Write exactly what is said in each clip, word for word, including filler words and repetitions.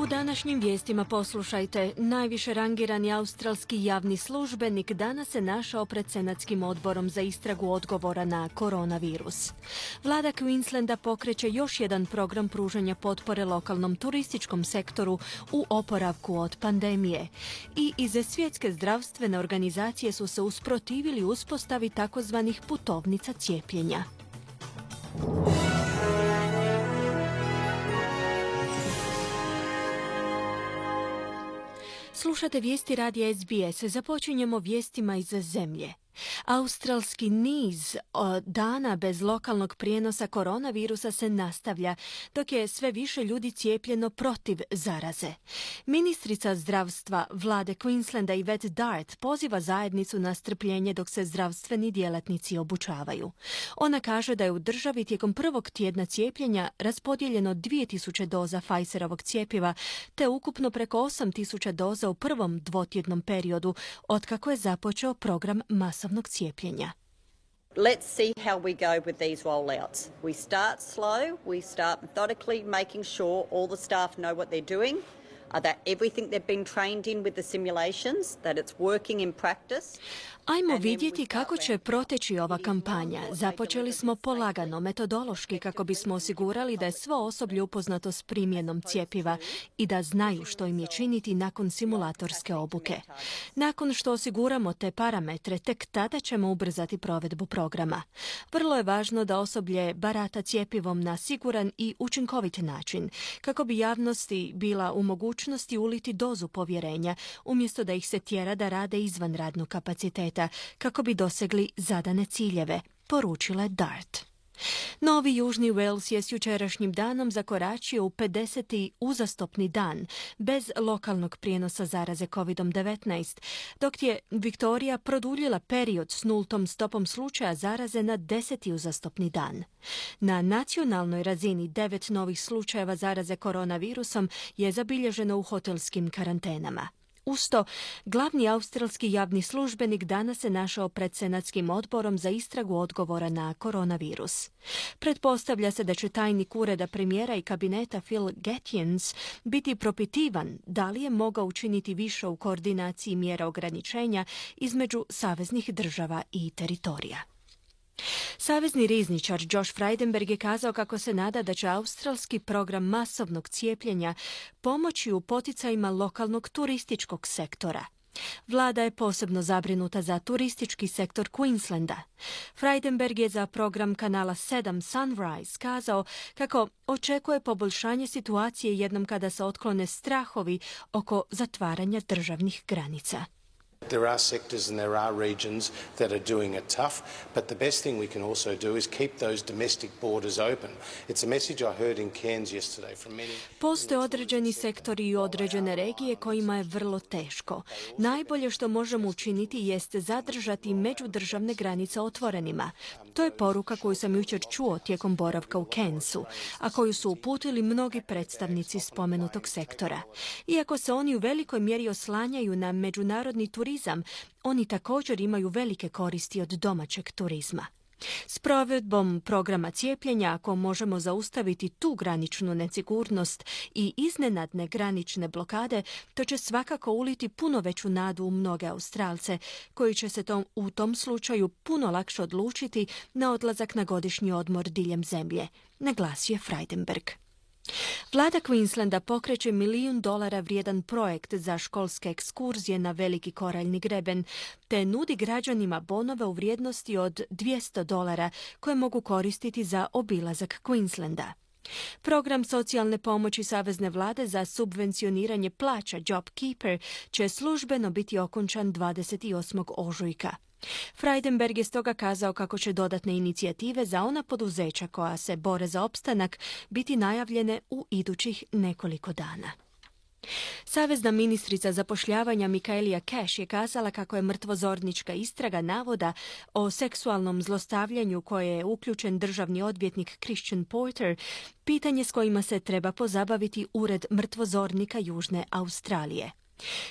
U današnjim vijestima poslušajte, najviše rangirani australski javni službenik danas se našao pred Senatskim odborom za istragu odgovora na koronavirus. Vlada Queenslanda pokreće još jedan program pružanja potpore lokalnom turističkom sektoru u oporavku od pandemije. I iz svjetske zdravstvene organizacije su se usprotivili uspostavi takozvanih putovnica cijepljenja. Slušate vijesti radija S B S. Započinjemo vijestima iz zemlje. Australski niz dana bez lokalnog prijenosa koronavirusa se nastavlja, dok je sve više ljudi cijepljeno protiv zaraze. Ministrica zdravstva vlade Queenslanda Yvette Dart poziva zajednicu na strpljenje dok se zdravstveni djelatnici obučavaju. Ona kaže da je u državi tijekom prvog tjedna cijepljenja raspodijeljeno dvije tisuće doza Pfizerovog cjepiva, te ukupno preko osam tisuća doza u prvom dvotjednom periodu, otkako je započeo program masovnog cijepljenja. Let's see how we go with these rollouts. We start slow, we start methodically making sure all the staff know what they're doing, uh, that everything they've been trained in with the simulations, that it's working in practice. Ajmo vidjeti kako će proteći ova kampanja. Započeli smo polagano, metodološki, kako bismo osigurali da je svo osoblje upoznato s primjenom cjepiva i da znaju što im je činiti nakon simulatorske obuke. Nakon što osiguramo te parametre, tek tada ćemo ubrzati provedbu programa. Vrlo je važno da osoblje barata cjepivom na siguran i učinkovit način, kako bi javnosti bila u mogućnosti uliti dozu povjerenja, umjesto da ih se tjera da rade izvan radnog kapaciteta, kako bi dosegli zadane ciljeve, poručila je Dart. Novi Južni Wales je s jučerašnjim danom zakoračio u pedeseti uzastopni dan bez lokalnog prijenosa zaraze covid devetnaest, dok je Viktorija produljila period s nultom stopom slučaja zaraze na deseti uzastopni dan. Na nacionalnoj razini devet novih slučajeva zaraze koronavirusom je zabilježeno u hotelskim karantenama. Usto, glavni australski javni službenik danas se našao pred Senatskim odborom za istragu odgovora na koronavirus. Pretpostavlja se da će tajnik ureda premijera i kabineta Phil Gatjens biti propitivan da li je mogao učiniti više u koordinaciji mjera ograničenja između saveznih država i teritorija. Savezni rizničar Josh Frydenberg je kazao kako se nada da će australski program masovnog cijepljenja pomoći u poticajima lokalnog turističkog sektora. Vlada je posebno zabrinuta za turistički sektor Queenslanda. Frydenberg je za program kanala sedam Sunrise kazao kako očekuje poboljšanje situacije jednom kada se otklone strahovi oko zatvaranja državnih granica. There are sectors and there are regions that are doing it tough, but the best thing we can also do is keep those domestic borders open. It's a message I heard in Cairns yesterday from many. Postoje određeni sektori i određene regije kojima je vrlo teško. Najbolje što možemo učiniti jeste zadržati međudržavne granice otvorenima. To je poruka koju sam jučer čuo tijekom boravka u Cairnsu, a koju su uputili mnogi predstavnici spomenutog sektora. Iako se oni u velikoj mjeri oslanjaju na međunarodni turizam, oni također imaju velike koristi od domaćeg turizma. S provedbom programa cijepljenja, ako možemo zaustaviti tu graničnu nesigurnost i iznenadne granične blokade, to će svakako uliti puno veću nadu u mnoge Australce, koji će se tom, u tom slučaju puno lakše odlučiti na odlazak na godišnji odmor diljem zemlje, naglasio je Frydenberg. Vlada Queenslanda pokreće milijun dolara vrijedan projekt za školske ekskurzije na veliki koraljni greben, te nudi građanima bonove u vrijednosti od dvjesto dolara koje mogu koristiti za obilazak Queenslanda. Program socijalne pomoći Savezne vlade za subvencioniranje plaća JobKeeper će službeno biti okončan dvadeset osmog ožujka. Frydenberg je stoga kazao kako će dodatne inicijative za ona poduzeća koja se bore za opstanak biti najavljene u idućih nekoliko dana. Savezna ministrica zapošljavanja Michaelia Cash je kazala kako je mrtvozornička istraga navoda o seksualnom zlostavljanju koje je uključen državni odvjetnik Christian Porter pitanje s kojima se treba pozabaviti Ured mrtvozornika Južne Australije.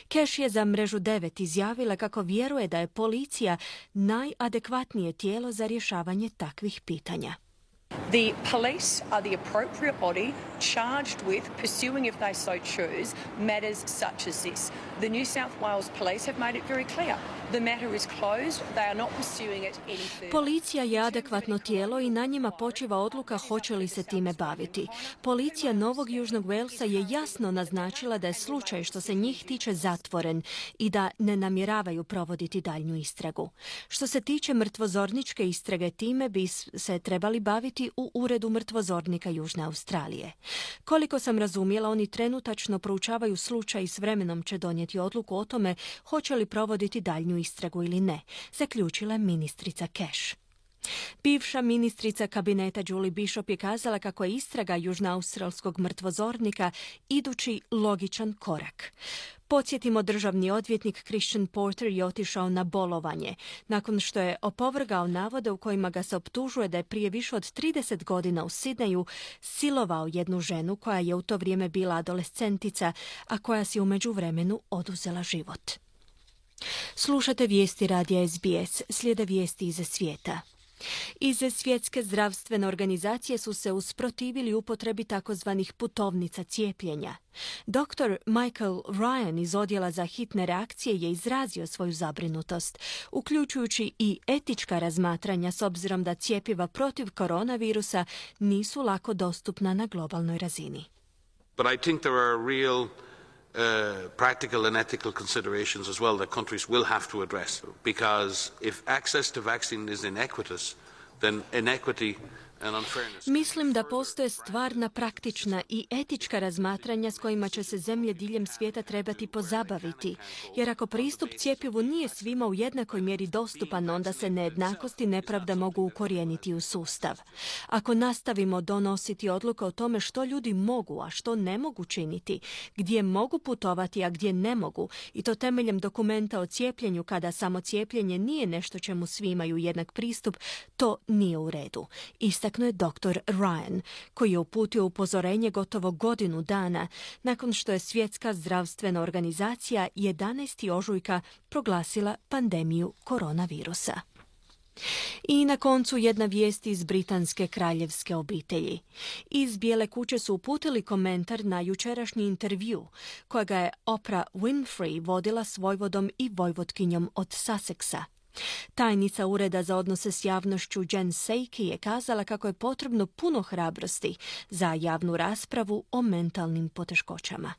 Cash je za mrežu devet izjavila kako vjeruje da je policija najadekvatnije tijelo za rješavanje takvih pitanja. The police are the appropriate body charged with pursuing, if they so choose, matters such as this. The New South Wales Police have made it very clear. The matter is closed. They are not pursuing it any further. Policija je adekvatno tijelo i na njima počiva odluka hoće li se time baviti. Policija Novog Južnog Walesa je jasno naznačila da je slučaj što se njih tiče zatvoren i da ne namjeravaju provoditi daljnju istragu. Što se tiče mrtvozorničke istrage, time bi se trebali baviti u Uredu mrtvozornika Južne Australije. Koliko sam razumjela, oni trenutačno proučavaju slučaj i s vremenom će donijeti odluku o tome hoće li provoditi daljnju istragu ili ne, zaključila je ministrica Cash. Bivša ministrica kabineta Julie Bishop je kazala kako je istraga južnoaustralskog mrtvozornika idući logičan korak. Podsjetimo, državni odvjetnik Christian Porter je otišao na bolovanje nakon što je opovrgao navode u kojima ga se optužuje da je prije više od trideset godina u Sidneju silovao jednu ženu koja je u to vrijeme bila adolescentica, a koja si u međuvremenu oduzela život. Slušate vijesti radija S B S, slijede vijesti iz svijeta. Iz Svjetske zdravstvene organizacije su se usprotivili upotrebi takozvanih putovnica cijepljenja. doktor Michael Ryan iz odjela za hitne reakcije je izrazio svoju zabrinutost, uključujući i etička razmatranja s obzirom da cjepiva protiv koronavirusa nisu lako dostupna na globalnoj razini. But I think there are real Uh, practical and ethical considerations as well that countries will have to address, because if access to vaccine is inequitous, then inequity and unfairness. Mislim da postoje stvarna, praktična i etička razmatranja s kojima će se zemlje diljem svijeta trebati pozabaviti, jer ako pristup cjepivu nije svima u jednakoj mjeri dostupan, onda se nejednakost i nepravda mogu ukorijeniti u sustav. Ako nastavimo donositi odluke o tome što ljudi mogu, a što ne mogu činiti, gdje mogu putovati, a gdje ne mogu, i to temeljem dokumenta o cijepljenju kada samo cijepljenje nije nešto čemu svi imaju jednak pristup, to nije u redu. Istaknuo je doktor Ryan, koji je uputio upozorenje gotovo godinu dana nakon što je Svjetska zdravstvena organizacija jedanaestog ožujka proglasila pandemiju koronavirusa. I na koncu jedna vijest iz britanske kraljevske obitelji. Iz Bijele kuće su uputili komentar na jučerašnji intervju kojega je Oprah Winfrey vodila s vojvodom i vojvotkinjom od Sussexa. Tajnica Ureda za odnose s javnošću Jen Psaki je kazala kako je potrebno puno hrabrosti za javnu raspravu o mentalnim poteškoćama.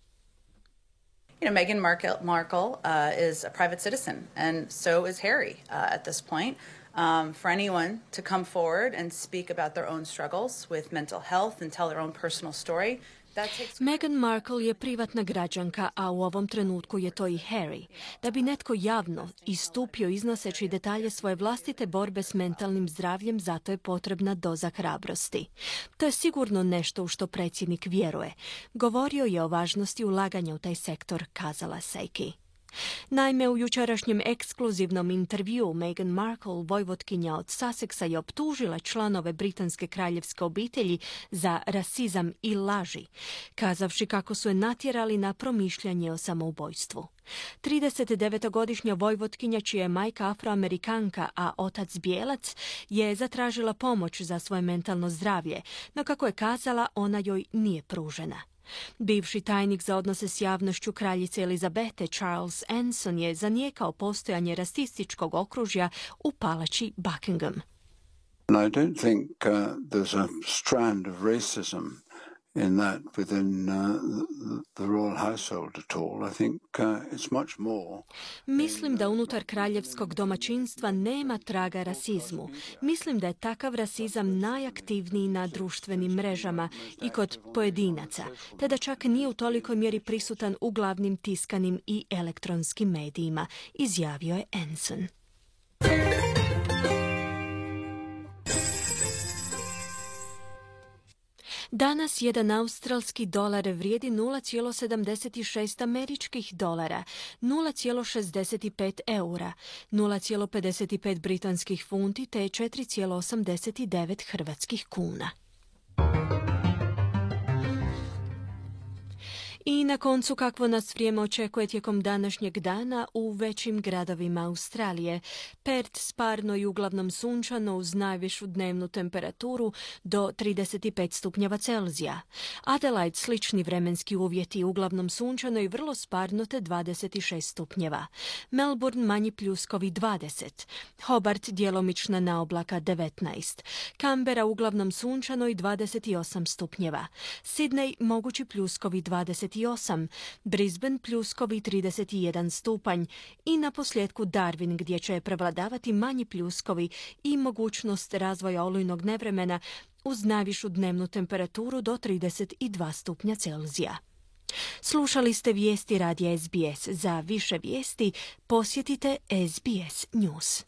You know, Meghan Markle, Markle uh, is a private citizen, and so is Harry uh, at this point. Um, for anyone to come forward and speak about their own struggles with mental health and tell their own personal story, Meghan Markle je privatna građanka, a u ovom trenutku je to i Harry. Da bi netko javno istupio iznoseći detalje svoje vlastite borbe s mentalnim zdravljem, zato je potrebna doza hrabrosti. To je sigurno nešto u što predsjednik vjeruje. Govorio je o važnosti ulaganja u taj sektor, kazala Psaki. Naime, u jučerašnjem ekskluzivnom intervjuu Meghan Markle, vojvotkinja od Sussexa, je optužila članove britanske kraljevske obitelji za rasizam i laži, kazavši kako su je natjerali na promišljanje o samoubojstvu. tridesetdevetogodišnja vojvotkinja, čija je majka Afroamerikanka, a otac bijelac, je zatražila pomoć za svoje mentalno zdravlje, no kako je kazala, ona joj nije pružena. Bivši tajnik za odnose s javnošću kraljice Elizabete, Charles Anson, je zanijekao postojanje rasističkog okružja u palači Buckingham. And I don't think uh, there's a strand of racism in that within uh, the royal household at all. I think uh, it's much more. Mislim da unutar kraljevskog domaćinstva nema traga rasizmu. Mislim da je takav rasizam najaktivniji na društvenim mrežama i kod pojedinaca, te da čak nije u tolikoj mjeri prisutan u glavnim tiskanim i elektronskim medijima, izjavio je Anson. Danas jedan australski dolar vrijedi nula zarez sedamdeset šest američkih dolara, nula zarez šezdeset pet eura, nula zarez pedeset pet britanskih funti te četiri zarez osamdeset devet hrvatskih kuna. I na koncu kakvo nas vrijeme očekuje tijekom današnjeg dana u većim gradovima Australije. Perth sparno i uglavnom sunčano uz najvišu dnevnu temperaturu do trideset pet stupnjeva Celzija. Adelaide slični vremenski uvjeti, uglavnom sunčano i vrlo sparno te dvadeset šest stupnjeva. Melbourne manji pljuskovi dvadeset. Hobart djelomična naoblaka devetnaest. Canberra uglavnom sunčano i dvadeset osam stupnjeva. Sydney mogući pljuskovi dvadeset osam. Brisbane pljuskovi trideset jedan stupanj. I na posljedku Darwin gdje će prevladavati manji pljuskovi i mogućnost razvoja olujnog nevremena uz najvišu dnevnu temperaturu do trideset dva stupnja Celzija. Slušali ste vijesti radija S B S. Za više vijesti posjetite S B S News.